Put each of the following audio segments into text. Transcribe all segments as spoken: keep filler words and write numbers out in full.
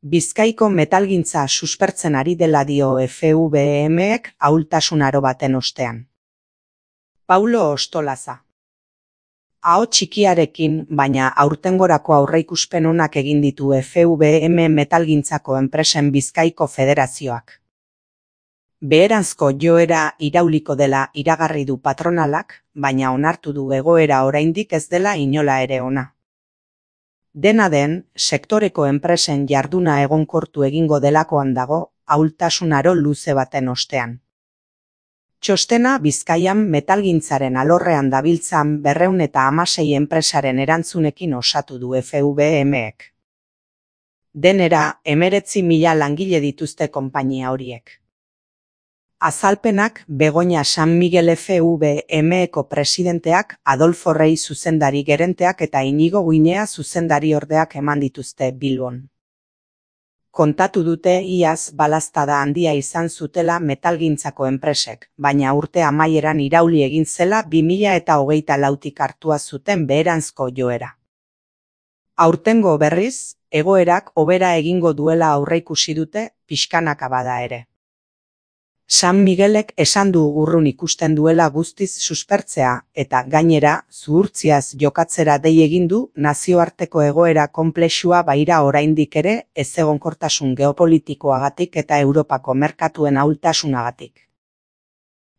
Bizkaiko metalgintza suspertzen ari dela dio F V EMek ahultasun aro baten ostean. Paulo Ostolaza. Aho txikiarekin, baina aurtengorako aurreikuspen onak egin ditu F V E M metalgintzako enpresen Bizkaiko Federazioak. Beheranzko joera irauliko dela iragarri du patronalak, baina onartu du egoera oraindik ez dela inola ere ona. Dena den, sektoreko enpresen jarduna egonkortu egingo delakoan dago, ahultasun aro luze baten ostean. Txostena Bizkaian metalgintzaren alorrean dabiltzan berrehun eta hamasei enpresaren erantzunekin osatu du F V E Mek. Denera, hemeretzi mila langile dituzte konpainia horiek. Azalpenak Begoña San Miguel F V E Meko presidenteak, Adolfo Rey zuzendari gerenteak eta Inigo Guinea zuzendari ordeak eman dituzte Bilbon. Kontatu dute iaz balaztada handia izan zutela metalgintzako enpresek, baina urte amaieran irauli egin zela bi mila eta hogeita lautik hartua zuten beheranzko joera. Aurtengo berriz, egoerak hobera egingo duela aurreikusi dute, pixkanaka bada ere. San Miguelek esan du urrun ikusten duela guztiz suspertzea eta gainera zuhurtziaz jokatzera dei egin du nazioarteko egoera konplexua baira oraindik ere ezegonkortasun geopolitikoagatik eta Europako merkatuen ahultasunagatik.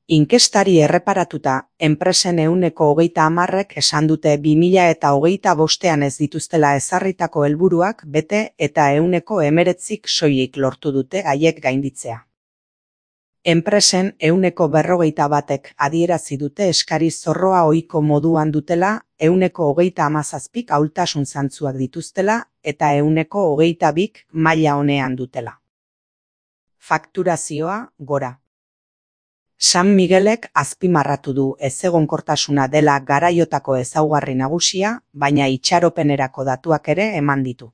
Inkestari erreparatuta, enpresen ehuneko hogeita hamarrek esan dute bi mila eta hogeita bostean ez dituztela ezarritako helburuak bete eta ehuneko hemeretzik soilik lortu dute haiek gainditzea. Enpresen ehuneko berrogeita batek adierazi dute eskari zorroa ohiko moduan dutela, ehuneko hogeita hamazazpik ahultasun zantzuak dituztela eta ehuneko hogeita bik maila onean dutela. Fakturazioa gora. San Miguelek azpimarratu du ezegonkortasuna dela garaiotako ezaugarri nagusia, baina itxaropenerako datuak ere eman ditu.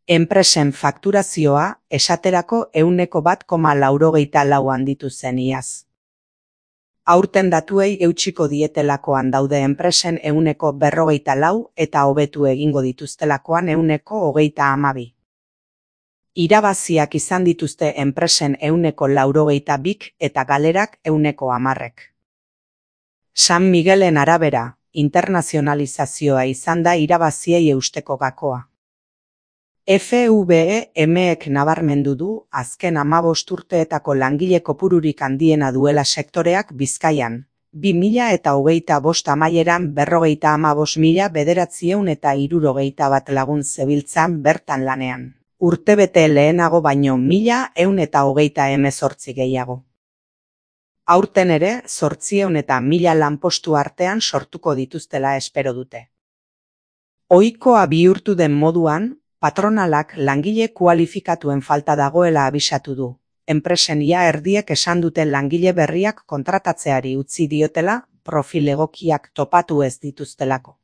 Enpresen fakturazioa esaterako ehuneko bat koma laurogeita lau handitu zen iaz. Aurten datuei eutsiko dietelakoan daude enpresen ehuneko berrogeita lau eta hobetu egingo dituztelakoan ehuneko hogeita hamabi. Irabaziak izan dituzte enpresen ehuneko laurogeita bik eta galerak ehuneko hamarrek. San Miguelen arabera, internazionalizazioa izan da irabaziei eusteko gakoa. F V E Mek nabarmendu du azken hamabost urteetako langile kopururik handiena duela sektoreak Bizkaian, bi mila eta hogeita bost amaieran berrogeita hamabost mila bederatziehun eta hirurogeita bat lagun zebiltzan bertan lanean, urtebete lehenago baino mila ehun eta hogeita hemezortzi gehiago. Aurten ere, zortziehun eta mila lanpostu artean sortuko dituztela espero dute. Ohikoa bihurtu den moduan, patronalak langile kualifikatuen falta dagoela abisatu du. Enpresen ia erdiek esan duten langile berriak kontratatzeari utzi diotela, profil egokiak topatu ez dituztelako.